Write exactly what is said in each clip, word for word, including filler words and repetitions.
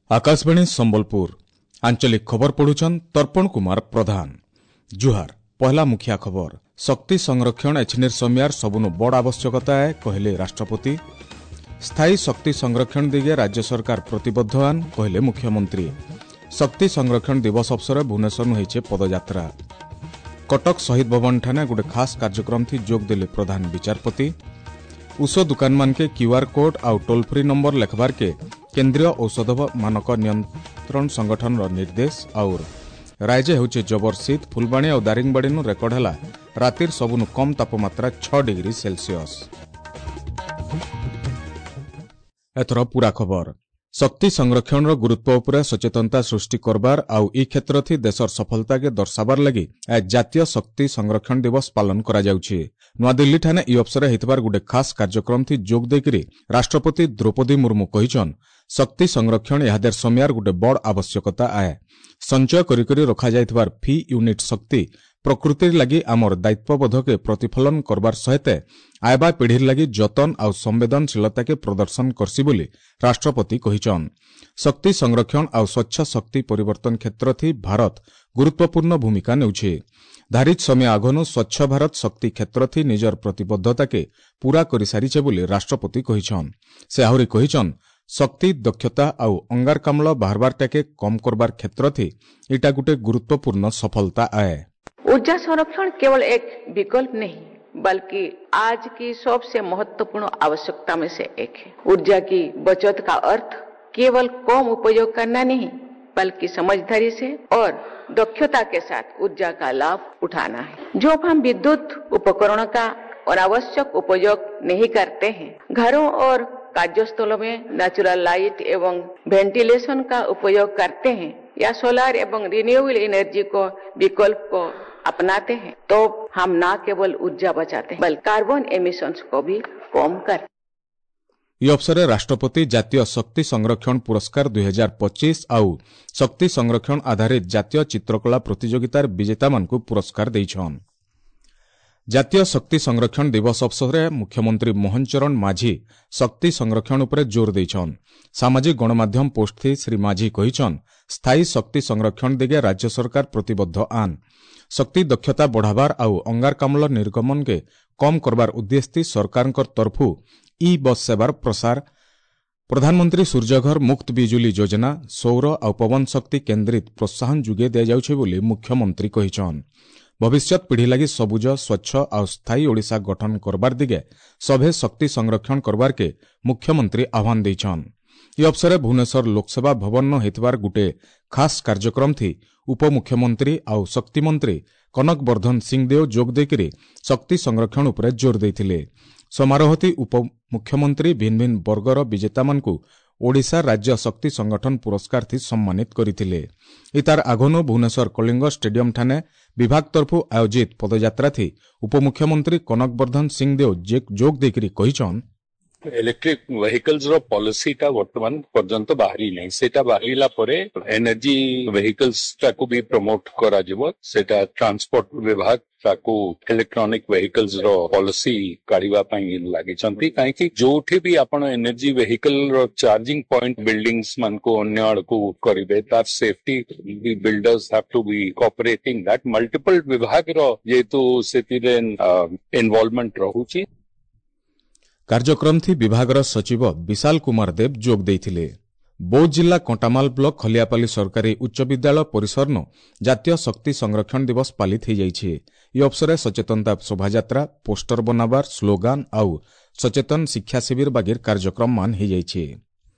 ଆକାଶବାଣୀ ସମ୍ବଲପୁର ଆଞ୍ଚଳିକ ଖବର ପଢୁଛନ୍ ତର୍ପଣ କୁମାର ପ୍ରଧାନ ଜୁହାର ପହଲା ମୁଖିଆ ଖବର ଶକ୍ତି ସଂରକ୍ଷଣ ଏଛିନିର ସମିୟାର ସବୁନୁ ବଡ଼ ଆବଶ୍ୟକତା ଏ କହିଲେ ରାଷ୍ଟ୍ରପତି ସ୍ଥାୟୀ ଶକ୍ତି ସଂରକ୍ଷଣ ଦିଗେ ରାଜ୍ୟ ସରକାର ପ୍ରତିବଦ୍ଧ ଆନ୍ କହିଲେ ମୁଖ୍ୟମନ୍ତ୍ରୀ ଶକ୍ତି ସଂରକ୍ଷଣ ଦିବସ ଅବସରରେ ଭୁବନେଶ୍ୱରନୁ ହେଇଛେ ପଦଯାତ୍ରା କଟକ ଶହୀଦ ଭବନ ଠାନେ ଗୋଟେ ଖାସ୍ କାର୍ଯ୍ୟକ୍ରମ ଥି ଯୋଗ ଦେଲେ ପ୍ରଧାନ ବିଚାରପତି ଔଷଧ ଦୁକାନମାନକେ କ୍ୟୁଆର୍ କୋଡ୍ ଆଉ ଟୋଲ୍ ଫ୍ରି ନମ୍ବର ଲେଖବାରକେ କେନ୍ଦ୍ରୀୟ ଔଷଧ ମାନକ ନିୟନ୍ତ୍ରଣ ସଂଗଠନର ନିର୍ଦ୍ଦେଶ ଆଉର ରାଜ୍ୟ ହେଉଛି ଜବର ଶୀତ ଫୁଲବାଣୀ ଆଉ ଦାରିଙ୍ଗବାଡ଼ିନୁ ରେକର୍ଡ ହେଲା ରାତିର ସବୁନୁ କମ୍ ତାପମାତ୍ରା ଛଅ ଡିଗ୍ରୀ ସେଲସିୟସ୍ ଏଥର ପୁରା ଖବର ଶକ୍ତି ସଂରକ୍ଷଣର ଗୁରୁତ୍ୱ ଉପରେ ସଚେତନତା ସୃଷ୍ଟି କରବାର ଆଉ ଇ କ୍ଷେତ୍ରଥି ଦେଶର ସଫଳତାକେ ଦର୍ଶାବାର ଲାଗି ଆଜ ଜାତୀୟ ଶକ୍ତି ସଂରକ୍ଷଣ ଦିବସ ପାଳନ କରାଯାଉଛି ନୂଆଦିଲ୍ଲୀଠାନେ ଇ ଅବସରରେ ହେଇଥିବାର ଗୋଟେ ଖାସ୍ କାର୍ଯ୍ୟକ୍ରମଥି ଯୋଗ ଦେଇକରି ରାଷ୍ଟ୍ରପତି ଦ୍ରୌପଦୀ ମୁର୍ମୁ କହିଛନ୍ ଶକ୍ତି ସଂରକ୍ଷଣ ଏହାଦେର ସମୟାର ଗୋଟେ ବଡ଼ ଆବଶ୍ୟକତା ଆଏ ସଞ୍ଚୟ କରିକରି ରଖାଯାଇଥିବାର ଫି ୟୁନିଟ୍ ଶକ୍ତି ପ୍ରକୃତିର ଲାଗି ଆମର ଦାୟିତ୍ୱବୋଧକେ ପ୍ରତିଫଳନ କରବାର ସହିତ ଆଇବା ପିଢ଼ିର ଲାଗି ଯତନ ଆଉ ସମ୍ବେଦନଶୀଳତାକେ ପ୍ରଦର୍ଶନ କରସି ବୋଲି ରାଷ୍ଟ୍ରପତି କହିଛନ୍ ଶକ୍ତି ସଂରକ୍ଷଣ ଆଉ ସ୍ୱଚ୍ଛ ଶକ୍ତି ପରିବର୍ତ୍ତନ କ୍ଷେତ୍ରଥି ଭାରତ ଗୁରୁତ୍ୱପୂର୍ଣ୍ଣ ଭୂମିକା ନେଉଛି ଧାରିତ ସମୟ ଆଗନୁ ସ୍ୱଚ୍ଛ ଭାରତ ଶକ୍ତି କ୍ଷେତ୍ରଥି ନିଜର ପ୍ରତିବଦ୍ଧତାକେ ପୂରା କରିସାରିଛେ ବୋଲି ରାଷ୍ଟ୍ରପତି କହିଛନ୍ ସେ ଆହୁରି କହିଛନ୍ ଶକ୍ତି ଦକ୍ଷତା ଆଉ ଅଙ୍ଗାରକାମ୍ଳ ବାହାରବାରଟାକେ କମ୍ କରବାର କ୍ଷେତ୍ରଥି ଇଟା ଗୋଟେ ଗୁରୁତ୍ୱପୂର୍ଣ୍ଣ ସଫଳତା ଆଏ ऊर्जा संरक्षण केवल एक विकल्प नहीं बल्कि आज की सबसे महत्वपूर्ण आवश्यकता में से एक है ऊर्जा की बचत का अर्थ केवल कम उपयोग करना नहीं बल्कि समझदारी से और दक्षता के साथ ऊर्जा का लाभ उठाना है जो हम विद्युत उपकरणों का अनावश्यक उपयोग नहीं करते हैं घरों और कार्यस्थलों में नेचुरल लाइट एवं वेंटिलेशन का उपयोग करते हैं या सोलर एवं रिन्यूएबल एनर्जी को विकल्प को अपनाते हैं तो हम न केवल ऊर्जा बचाते हैं बल्कि कार्बन एमिशंस को भी कम कर ଇ ଅବସରରେ ରାଷ୍ଟ୍ରପତି ଜାତୀୟ ଶକ୍ତି ସଂରକ୍ଷଣ ପୁରସ୍କାର ଦୁଇ ହଜାର ପଚିଶ ଆଉ ଶକ୍ତି ସଂରକ୍ଷଣ ଆଧାରିତ ଜାତୀୟ ଚିତ୍ରକଳା ପ୍ରତିଯୋଗିତାର ବିଜେତାମାନଙ୍କୁ ପୁରସ୍କାର ଦେଇଛନ୍ ଜାତୀୟ ଶକ୍ତି ସଂରକ୍ଷଣ ଦିବସ ଅବସରରେ ମୁଖ୍ୟମନ୍ତ୍ରୀ ମୋହନ ଚରଣ ମାଝୀ ଶକ୍ତି ସଂରକ୍ଷଣ ଉପରେ ଜୋର ଦେଇଛନ୍ ସାମାଜିକ ଗଣମାଧ୍ୟମ ପୋଷ୍ଟଥି ଶ୍ରୀ ମାଝୀ କହିଛନ୍ ସ୍ଥାୟୀ ଶକ୍ତି ସଂରକ୍ଷଣ ଦିଗେ ରାଜ୍ୟ ସରକାର ପ୍ରତିବଦ୍ଧ ଆନ୍ ଶକ୍ତି ଦକ୍ଷତା ବଢ଼ାବାର ଆଉ ଅଙ୍ଗାରକାମ୍ଳ ନିର୍ଗମନକେ କମ୍ କରବାର ଉଦ୍ଦେଶ୍ୟ ସରକାରଙ୍କ ତରଫୁ ଇ ବସ୍ ସେବାର ପ୍ରସାର ପ୍ରଧାନମନ୍ତ୍ରୀ ସୂର୍ଯ୍ୟଘର ମୁକ୍ତ ବିଜୁଳି ଯୋଜନା ସୌର ଆଉ ପବନ ଶକ୍ତି କେନ୍ଦ୍ରିତ ପ୍ରୋତ୍ସାହନ ଯୋଗାଇ ଦିଆଯାଉଛି ବୋଲି ମୁଖ୍ୟମନ୍ତ୍ରୀ କହିଛନ୍ ଭବିଷ୍ୟତ ପିଢ଼ି ଲାଗି ସବୁଜ ସ୍ୱଚ୍ଛ ଆଉ ସ୍ଥାୟୀ ଓଡ଼ିଶା ଗଠନ କରବାର ଦିଗେ ସଭେ ଶକ୍ତି ସଂରକ୍ଷଣ କରବାରକେ ମୁଖ୍ୟମନ୍ତ୍ରୀ ଆହ୍ୱାନ ଦେଇଛନ୍ ଇ ଅବସରରେ ଭୁବନେଶ୍ୱର ଲୋକସେବା ଭବନ ହେଇଥିବାର ଗୁଟେ ଖାସ୍ କାର୍ଯ୍ୟକ୍ରମଥି ଉପମୁଖ୍ୟମନ୍ତ୍ରୀ ଆଉ ଶକ୍ତିମନ୍ତ୍ରୀ କନକ ବର୍ଦ୍ଧନ ସିଂଦେଓ ଯୋଗ ଦେଇକରି ଶକ୍ତି ସଂରକ୍ଷଣ ଉପରେ ଜୋର ଦେଇଥିଲେ ସମାରୋହଥି ଉପମୁଖ୍ୟମନ୍ତ୍ରୀ ଭିନ୍ନ ଭିନ୍ନ ବର୍ଗର ବିଜେତାମାନଙ୍କୁ ଓଡ଼ିଶା ରାଜ୍ୟ ଶକ୍ତି ସଂଗଠନ ପୁରସ୍କାରଥି ସମ୍ମାନିତ କରିଥିଲେ ଇତାର ଆଗନୁ ଭୁବନେଶ୍ୱର କଳିଙ୍ଗ ଷ୍ଟାଡିୟମ ଠାନେ ବିଭାଗ ତରଫୁ ଆୟୋଜିତ ପଦଯାତ୍ରାଥି ଉପମୁଖ୍ୟମନ୍ତ୍ରୀ କନକ ବର୍ଦ୍ଧନ ସିଂଦେଓ ଯୋଗ ଦେଇକରି କହିଛନ୍ ଇଲେକ୍ଟ୍ରିକ ଭେହିକଲ୍ସ ର ପଲିସିଟା ବର୍ତ୍ତମାନ ପର୍ଯ୍ୟନ୍ତ ବାହାରି ନାହିଁ ସେଇଟା ବାହାରିଲା ପରେ ଏନର୍ଜି ଭେହିକଲ୍ସ ଟାକୁ ବି ପ୍ରମୋଟ କରାଯିବ ସେଇଟା ଟ୍ରାନ୍ସପୋର୍ଟ ବିଭାଗ ତାକୁ ଇଲେକ୍ଟ୍ରୋନିକ ଭେହିକଲ୍ସ ର ପଲିସି କାଢିବା ପାଇଁ ଲାଗିଛନ୍ତି କାହିଁକି ଯୋଉଠି ବି ଆପଣ ଏନର୍ଜି ଭେହିକଲ ର ଚାର୍ଜିଂ ପଏଣ୍ଟ ବିଲ୍ଡିଂସ ମାନଙ୍କୁ ଅନ୍ୟ ଆଡକୁ କରିବେ ତାର safety B builders have to be cooperating that multiple ବିଭାଗର ଯେହେତୁ ସେଥିରେ ଇନଭଲଭମେଣ୍ଟ ରହୁଛି କାର୍ଯ୍ୟକ୍ରମଥି ବିଭାଗର ସଚିବ ବିଶାଲ କୁମାର ଦେବ ଯୋଗ ଦେଇଥିଲେ ବୌଦ୍ଧ ଜିଲ୍ଲା କଣ୍ଟାମାଲ ବ୍ଲକ ଖଲିଆପାଲି ସରକାରୀ ଉଚ୍ଚ ବିଦ୍ୟାଳୟ ପରିସରନୁ ଜାତୀୟ ଶକ୍ତି ସଂରକ୍ଷଣ ଦିବସ ପାଳିତ ହୋଇଯାଇଛି ଇ ଅବସରରେ ସଚେତନତା ଶୋଭାଯାତ୍ରା ପୋଷ୍ଟର ବନାବାର ସ୍ଲୋଗାନ ଆଉ ସଚେତନ ଶିକ୍ଷା ଶିବିର ବାଗିର କାର୍ଯ୍ୟକ୍ରମମାନ ହୋଇଯାଇଛି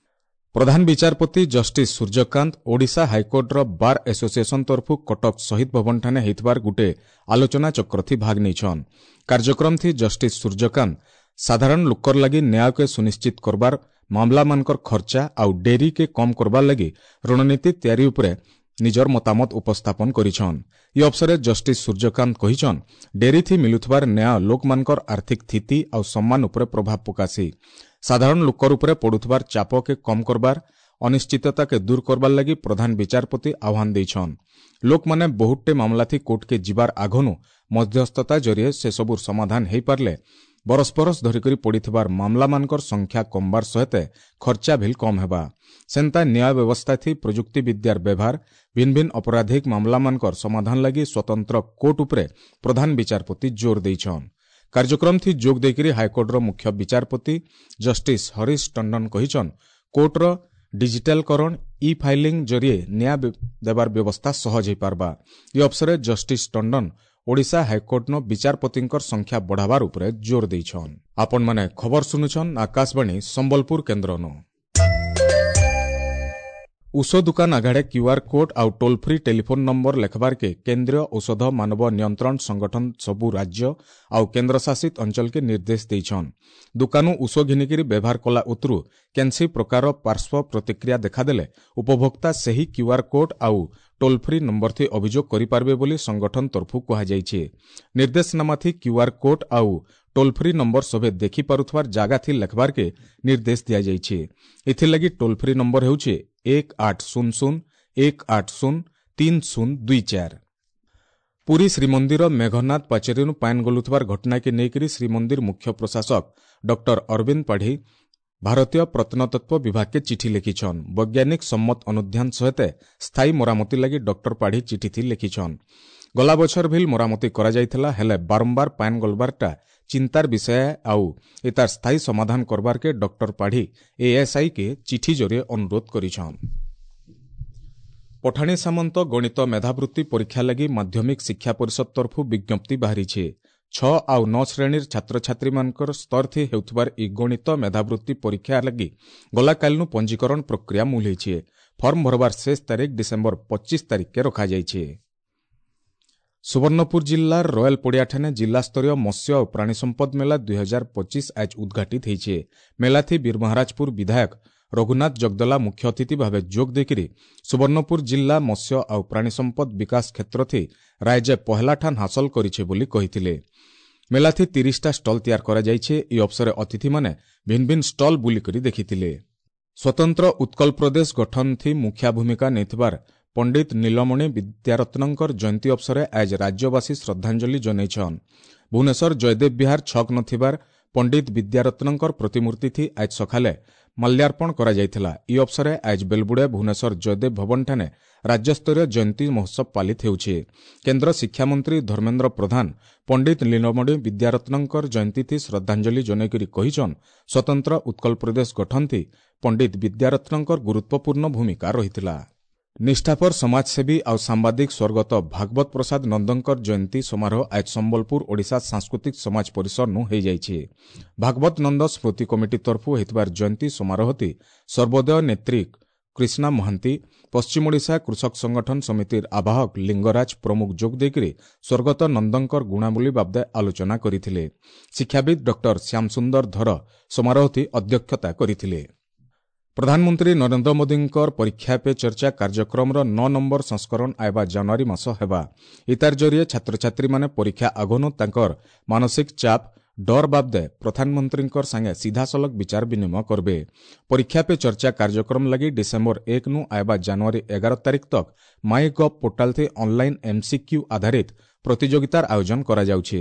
ପ୍ରଧାନ ବିଚାରପତି ଜଷ୍ଟିସ୍ ସୂର୍ଯ୍ୟକାନ୍ତ ଓଡ଼ିଶା ହାଇକୋର୍ଟର ବାର୍ ଆସୋସିଏସନ ତରଫୁ କଟକ ଶହୀଦ ଭବନଠାନେ ହେଇଥିବାର ଗୁଟେ ଆଲୋଚନା ଚକ୍ରଥି ଭାଗ ନେଇଛନ୍ କାର୍ଯ୍ୟକ୍ରମଥି ଜଷ୍ଟିସ୍ ସୂର୍ଯ୍ୟକାନ୍ତ ସାଧାରଣ ଲୋକର ଲାଗି ନ୍ୟାୟକେ ସୁନିଶ୍ଚିତ କରବାର ମାମଲାମାନଙ୍କର ଖର୍ଚ୍ଚା ଆଉ ଡେରିକେ କମ୍ କରବାର ଲାଗି ରଣନୀତି ତିଆରି ଉପରେ ନିଜର ମତାମତ ଉପସ୍ଥାପନ କରିଛନ୍ ଇ ଅବସରରେ ଜଷ୍ଟିସ୍ ସୂର୍ଯ୍ୟକାନ୍ତ କହିଛନ୍ ଡେରିଥି ମିଲୁଥିବାର ନ୍ୟାୟ ଲୋକମାନଙ୍କର ଆର୍ଥିକ ସ୍ଥିତି ଆଉ ସମ୍ମାନ ଉପରେ ପ୍ରଭାବ ପକାସି ସାଧାରଣ ଲୋକର ଉପରେ ପଡୁଥିବାର ଚାପକେ କମ୍ କରବାର ଅନିଶ୍ଚିତତାକେ ଦୂର କରବାର ଲାଗି ପ୍ରଧାନ ବିଚାରପତି ଆହ୍ୱାନ ଦେଇଛନ୍ ଲୋକମାନେ ବହୁତଟେ ମାମଲାଥି କୋର୍ଟକେ ଯିବାର ଆଗନୁ ମଧ୍ୟସ୍ଥତା ଜରିଏ ସେସବୁର ସମାଧାନ ହେଇପାରିଲେ ବରଷ ବରଷ ଧରିକରି ପଡ଼ିଥିବାର ମାମଲାମାନଙ୍କର ସଂଖ୍ୟା କମବାର ସହିତ ଖର୍ଚ୍ଚା ଭିଲ୍ କମ୍ ହେବା। ସେନ୍ତା ନ୍ୟାୟ ବ୍ୟବସ୍ଥା ଥି ପ୍ରଯୁକ୍ତି ବିଦ୍ୟାର ବ୍ୟବହାର, ଭିନ୍ନ ଭିନ୍ନ ଅପରାଧିକ ମାମଲାମାନଙ୍କର ସମାଧାନ ଲାଗି ସ୍ୱତନ୍ତ୍ର କୋର୍ଟ ଉପରେ ପ୍ରଧାନ ବିଚାରପତି ଜୋର ଦେଇଛନ୍। କାର୍ଯ୍ୟକ୍ରମ ଥି ଯୋଗ ଦେଇକରି ହାଇକୋର୍ଟର ମୁଖ୍ୟ ବିଚାରପତି ଜଷ୍ଟିସ୍ ହରିଶ ଟଣ୍ଡନ କହିଛନ୍, କୋର୍ଟର ଡିଜିଟାଲକରଣ, ଇ ଫାଇଲିଂ ଜରିଏ ନ୍ୟାୟ ଦେବାର ବ୍ୟବସ୍ଥା ସହଜ ହୋଇପାରବା। ଏ ଅବସରରେ ଜଷ୍ଟିସ୍ ଟଣ୍ଡନ ଓଡ଼ିଶା ହାଇକୋର୍ଟନ ବିଚାରପତିଙ୍କର ସଂଖ୍ୟା ବଢ଼ାବାର ଉପରେ ଜୋର ଦେଇଛନ୍। ଆପଣମାନେ ଖବର ଶୁଣୁଛନ୍ ଆକାଶବାଣୀ ସମ୍ବଲପୁର କେନ୍ଦ୍ରନୁ। ଔଷଧ ଦୁକାନ ଆଘାଡ଼େ କ୍ୟୁଆର୍ କୋଡ୍ ଆଉ ଟୋଲ୍ ଫ୍ରି ଟେଲିଫୋନ୍ ନମ୍ବର ଲେଖବାର୍କେ କେନ୍ଦ୍ରୀୟ ଔଷଧ ମାନବ ନିୟନ୍ତ୍ରଣ ସଂଗଠନ ସବୁ ରାଜ୍ୟ ଆଉ କେନ୍ଦ୍ରଶାସିତ ଅଞ୍ଚଳକେ ନିର୍ଦ୍ଦେଶ ଦେଇଛନ୍। ଦୁକାନୁ ଔଷଧ ଘିନିକିରି ବ୍ୟବହାର କଲା ଉତରୁ କେନ୍ସି ପ୍ରକାର ପାର୍ଶ୍ୱ ପ୍ରତିକ୍ରିୟା ଦେଖାଦେଲେ ଉପଭୋକ୍ତା ସେହି କ୍ୟୁଆର୍ କୋଡ୍ ଆଉ ଟୋଲ୍ ଫ୍ରି ନମ୍ବର ଥି ଅଭିଯୋଗ କରିପାରିବେ ବୋଲି ସଂଗଠନ ତରଫୁ କୁହାଯାଇଛି। ନିର୍ଦ୍ଦେଶନାମା ଥି କ୍ୟୁଆର୍ କୋଡ୍ ଆଉ ଟୋଲ୍ ଫ୍ରି ନମ୍ବର ସଭେ ଦେଖିପାରୁଥିବାର ଜାଗା ଥି ଲେଖବାର୍କେ ନିର୍ଦ୍ଦେଶ ଦିଆଯାଇଛି। ଏଥିଲାଗି ଟୋଲ୍ ଫ୍ରି ନମ୍ବର ହେଉଛି ଏକ ଆଠ ଶୂନ ଶୂନ ଏକ ଆଠ ଶୂନ ତିନି ଶୂନ ଦୁଇ ଚାରି। ପୁରୀ ଶ୍ରୀମନ୍ଦିର ମେଘନାଦ ପାଚେରୀରୁ ପାଏନ୍ ଗଲୁଥିବାର ଘଟଣାକେ ନେଇକରି ଶ୍ରୀମନ୍ଦିର ମୁଖ୍ୟ ପ୍ରଶାସକ ଡକ୍ଟର ଅରବିନ୍ଦ ପାଢ଼ୀ ଭାରତୀୟ ପ୍ରତ୍ନତତ୍ତ୍ୱ ବିଭାଗକେ ଚିଠି ଲେଖିଛନ୍। ବୈଜ୍ଞାନିକ ସମ୍ମତ ଅନୁଧ୍ୟାନ ସହିତ ସ୍ଥାୟୀ ମରାମତି ଲାଗି ଡକ୍ଟର ପାଢ଼ୀ ଚିଠି ଲେଖିଛନ୍। ଗଲା ବଛର ଭିଲ୍ ମରାମତି କରାଯାଇଥିଲା, ହେଲେ ବାରମ୍ବାର ପାଏନ୍ ଗଲବାରଟା ଚିନ୍ତାର ବିଷୟ ଆଉ ଏତାର ସ୍ଥାୟୀ ସମାଧାନ କରବାରକେ ଡକ୍ଟର ପାଢ଼ୀ ଏଏସ୍ଆଇ କେ ଚିଠି ଜରିଏ ଅନୁରୋଧ କରିଛନ୍। ପଠାଣି ସାମନ୍ତ ଗଣିତ ମେଧାବୃତ୍ତି ପରୀକ୍ଷା ଲାଗି ମାଧ୍ୟମିକ ଶିକ୍ଷା ପରିଷଦ ତରଫୁ ବିଜ୍ଞପ୍ତି ବାହାରିছে। ଛଅ ଆଉ ନଅ ଶ୍ରେଣୀର ଛାତ୍ରଛାତ୍ରୀମାନଙ୍କର ସ୍ତର ଥି ହେଉଥିବାର ଇ ଗଣିତ ମେଧାବୃତ୍ତି ପରୀକ୍ଷା ଲାଗି ଗଲାକାଲିନୁ ପଞ୍ଜୀକରଣ ପ୍ରକ୍ରିୟା ମୂଲ ହେଇଛି। ଫର୍ମ ଭରବାର ଶେଷ ତାରିଖ ଡିସେମ୍ବର ପଚିଶ ତାରିଖକେ ରଖାଯାଇଛି। ସୁବର୍ଣ୍ଣପୁର ଜିଲ୍ଲାର ରୟାଲ ପଡ଼ିଆଠାନେ ଜିଲ୍ଲାସ୍ତରୀୟ ମତ୍ସ୍ୟ ଓ ପ୍ରାଣୀ ସମ୍ପଦ ମେଳା ଦୁଇ ହଜାର ପଚିଶ ଆଜ ଉଦ୍ଘାଟିତ ହେଇছে। ମେଳାଥି ବୀରମହାରାଜପୁର ବିଧାୟକ ରଘୁନାଥ ଜଗଦଲା ମୁଖ୍ୟ ଅତିଥି ଭାବେ ଯୋଗ ଦେଇକରି ସୁବର୍ଣ୍ଣପୁର ଜିଲ୍ଲା ମତ୍ସ୍ୟ ଆଉ ପ୍ରାଣୀ ସମ୍ପଦ ବିକାଶ କ୍ଷେତ୍ରଥି ରାଜ୍ୟ ପହେଲାଠାନ ହାସଲ କରିছে ବୋଲି କହିଥିଲେ। ମେଳାଥି ତିରିଶଟା ଷ୍ଟଲ୍ ତିଆର କରାଯାଇଛି। ଏହି ଅବସରରେ ଅତିଥିମାନେ ଭିନ୍ନ ଭିନ୍ନ ଷ୍ଟଲ୍ ବୁଲିକରି ଦେଖିଥିଲେ। ସ୍ୱତନ୍ତ୍ର ଉତ୍କଳ ପ୍ରଦେଶ ଗଠନ ଥି ମୁଖ୍ୟ ଭୂମିକା ନେଇଥିବାର ପଣ୍ଡିତ ନୀଳମଣି ବିଦ୍ୟାରତ୍ନଙ୍କର ଜୟନ୍ତୀ ଅବସରରେ ଆଜ ରାଜ୍ୟବାସୀ ଶ୍ରଦ୍ଧାଞ୍ଜଳି ଜଣାଇଛନ୍। ଭୁବନେଶ୍ୱର ଜୟଦେବ ବିହାର ଛକ ନଥିବାର ପଣ୍ଡିତ ବିଦ୍ୟାରତ୍ନଙ୍କର ପ୍ରତିମୂର୍ତ୍ତି ଥି ଆଜ ସକାଳେ ମାଲ୍ୟାର୍ପଣ କରାଯାଇଥିଲା। ଏହି ଅବସରରେ ଆଜ ବେଲବୁଡ଼େ ଭୁବନେଶ୍ୱର ଜୟଦେବ ଭବନଠାନେ ରାଜ୍ୟସ୍ତରୀୟ ଜୟନ୍ତୀ ମହୋତ୍ସବ ପାଳିତ ହେଉଛି। କେନ୍ଦ୍ର ଶିକ୍ଷାମନ୍ତ୍ରୀ ଧର୍ମେନ୍ଦ୍ର ପ୍ରଧାନ ପଣ୍ଡିତ ନୀଳମଣି ବିଦ୍ୟାରତ୍ନଙ୍କର ଜୟନ୍ତୀ ଥି ଶ୍ରଦ୍ଧାଞ୍ଜଳି ଜଣାଇକରି କହିଛନ୍, ସ୍ୱତନ୍ତ୍ର ଉତ୍କଳ ପ୍ରଦେଶ ଗଠନ ଥି ପଣ୍ଡିତ ବିଦ୍ୟାରତ୍ନଙ୍କର ଗୁରୁତ୍ୱପୂର୍ଣ୍ଣ ଭୂମିକା ରହିଥିଲା। ନିଷ୍ଠାପର ସମାଜସେବୀ ଆଉ ସାମ୍ବାଦିକ ସ୍ୱର୍ଗତ ଭାଗବତ ପ୍ରସାଦ ନନ୍ଦଙ୍କର ଜୟନ୍ତୀ ସମାରୋହ ଆଜ ସମ୍ବଲପୁର ଓଡ଼ିଶା ସାଂସ୍କୃତିକ ସମାଜ ପରିସରନୁ ହୋଇଯାଇଛି। ଭାଗବତ ନନ୍ଦ ସ୍ମୃତି କମିଟି ତରଫୁ ହୋଇଥିବାର ଜୟନ୍ତୀ ସମାରୋହତି ସର୍ବୋଦୟ ନେତ୍ରୀ କୃଷ୍ଣା ମହାନ୍ତି, ପଶ୍ଚିମ ଓଡ଼ିଶା କୃଷକ ସଂଗଠନ ସମିତିର ଆବାହକ ଲିଙ୍ଗରାଜ ପ୍ରମୁଖ ଯୋଗ ଦେଇକରି ସ୍ୱର୍ଗତ ନନ୍ଦଙ୍କର ଗୁଣାବଳୀ ବାବଦେ ଆଲୋଚନା କରିଥିଲେ। ଶିକ୍ଷାବିତ୍ ଡକ୍ଟର ଶ୍ୟାମସୁନ୍ଦର ଧର ସମାରୋହତି ଅଧ୍ୟକ୍ଷତା କରିଥିଲେ। ପ୍ରଧାନମନ୍ତ୍ରୀ ନରେନ୍ଦ୍ର ମୋଦୀଙ୍କର ପରୀକ୍ଷା ପେ ଚର୍ଚ୍ଚା କାର୍ଯ୍ୟକ୍ରମର ନଅ ନମ୍ବର ସଂସ୍କରଣ ଆଇବା ଜାନୁଆରୀ ମାସ ହେବା। ଇତାର ଜରିଏ ଛାତ୍ରଛାତ୍ରୀମାନେ ପରୀକ୍ଷା ଆଗନୁ ତାଙ୍କର ମାନସିକ ଚାପ, ଡର ବାବଦେ ପ୍ରଧାନମନ୍ତ୍ରୀଙ୍କର ସାଙ୍ଗେ ସିଧାସଳଖ ବିଚାର ବିନିମୟ କରବେ। ପରୀକ୍ଷା ପେ ଚର୍ଚ୍ଚା କାର୍ଯ୍ୟକ୍ରମ ଲାଗି ଡିସେମ୍ବର ଏକ ନୁ ଆଇବା ଜାନୁଆରୀ ଏଗାର ତାରିଖ ତକ ମାଇ ଗଭ୍ ପୋର୍ଟାଲ ଥି ଅନଲାଇନ୍ ଏମ୍ସିକ୍ୟୁ ଆଧାରିତ ପ୍ରତିଯୋଗିତାର ଆୟୋଜନ କରାଯାଉଛି।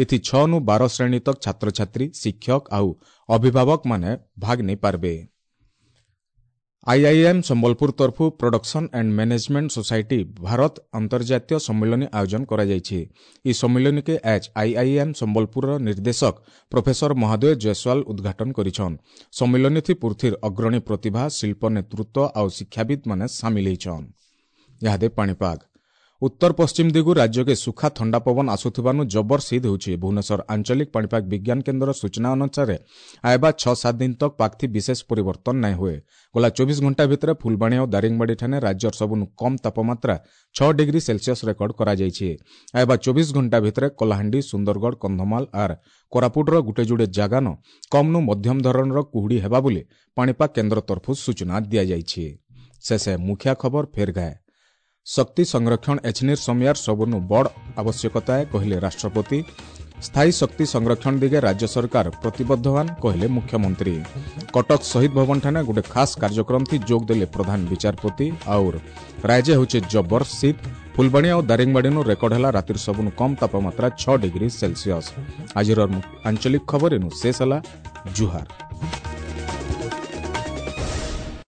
ଏଥି ଛଅ ନୁ ବାର ଶ୍ରେଣୀ ତକ ଛାତ୍ରଛାତ୍ରୀ, ଶିକ୍ଷକ ଆଉ ଅଭିଭାବକମାନେ ଭାଗ ନେଇପାରିବେ। ଆଇଆଇଏମ୍ ସମ୍ବଲପୁର ତରଫୁ production and management society Bharat ଅନ୍ତର୍ଜାତୀୟ ସମ୍ମିଳନୀ ଆୟୋଜନ କରାଯାଇଛି। ଏହି ସମ୍ମିଳନୀକେ ଆଜ୍ ଆଇଆଇଏମ୍ ସମ୍ବଲପୁରର ନିର୍ଦ୍ଦେଶକ ପ୍ରଫେସର ମହାଦେବ ଜୟସ୍ୱାଲ ଉଦ୍ଘାଟନ କରିଛନ୍। ସମ୍ମିଳନୀଥି ପୃଥିର ଅଗ୍ରଣୀ ପ୍ରତିଭା, ଶିଳ୍ପ ନେତୃତ୍ୱ ଆଉ ଶିକ୍ଷାବିତ୍ମାନେ ସାମିଲ ହେଇଛନ୍। ଇହାଦେ ପାଣିପାଗ। ଉତ୍ତର ପଶ୍ଚିମ ଦିଗୁ ରାଜ୍ୟକେ ସୁଖା ଥଣ୍ଡା ପବନ ଆସୁଥିବାରୁ ଜବର ଶୀତ ହେଉଛି। ଭୁବନେଶ୍ୱର ଆଞ୍ଚଳିକ ପାଣିପାଗ ବିଜ୍ଞାନ କେନ୍ଦ୍ରର ସୂଚନା ଅନୁସାରେ ଆଇବା ଛଅ ସାତ ଦିନ ତକ ପାଗଥି ବିଶେଷ ପରିବର୍ତ୍ତନ ନାଇଁ ହୁଏ। ଗଲା ଚବିଶ ଘଣ୍ଟା ଭିତରେ ଫୁଲବାଣୀ ଓ ଦାରିଙ୍ଗବାଡ଼ି ଠାନେ ରାଜ୍ୟର ସବୁନୁ କମ୍ ତାପମାତ୍ରା ଛଅ ଡିଗ୍ରୀ ସେଲସିୟସ୍ ରେକର୍ଡ କରାଯାଇଛି। ଆଇବା ଚବିଶ ଘଣ୍ଟା ଭିତରେ କଳାହାଣ୍ଡି, ସୁନ୍ଦରଗଡ଼, କନ୍ଧମାଳ ଆର୍ କୋରାପୁଟର ଗୁଟେ ଯୁଡ଼େ ଜାଗାନ କମ୍ନୁ ମଧ୍ୟମ ଧରଣର କୁହୁଡ଼ି ହେବା ବୋଲି ପାଣିପାଗ କେନ୍ଦ୍ର ତରଫରୁ ସୂଚନା ଦିଆଯାଇଛି। ଶେଷେ ମୁଖିଆ ଖବର ଫେର୍ ଗାଏ। ଶକ୍ତି ସଂରକ୍ଷଣ ଏଛନିର ସମୟାର ସବୁନୁ ବଡ଼ ଆବଶ୍ୟକତା କହିଲେ ରାଷ୍ଟ୍ରପତି। ସ୍ଥାୟୀ ଶକ୍ତି ସଂରକ୍ଷଣ ଦିଗେ ରାଜ୍ୟ ସରକାର ପ୍ରତିବଦ୍ଧବାନ କହିଲେ ମୁଖ୍ୟମନ୍ତ୍ରୀ। କଟକ ଶହୀଦ ଭବନଠାନେ ଗୋଟେ ଖାସ୍ କାର୍ଯ୍ୟକ୍ରମ ଥି ଯୋଗ ଦେଲେ ପ୍ରଧାନ ବିଚାରପତି। ଆଉର ରାଜ୍ୟ ହେଉଛେ ଜବର ଶୀତ। ଫୁଲବାଣୀ ଆଉ ଦାରିଙ୍ଗବାଡ଼ିନୁ ରେକର୍ଡ ହେଲା ରାତିର ସବୁନୁ କମ୍ ତାପମାତ୍ରା ଛଅ ଡିଗ୍ରୀ ସେଲସିୟସ୍। ଆଜିର ଆଞ୍ଚଳିକ ଖବର ଏନୁ ଶେଷ ହେଲା। ଜୁହାର।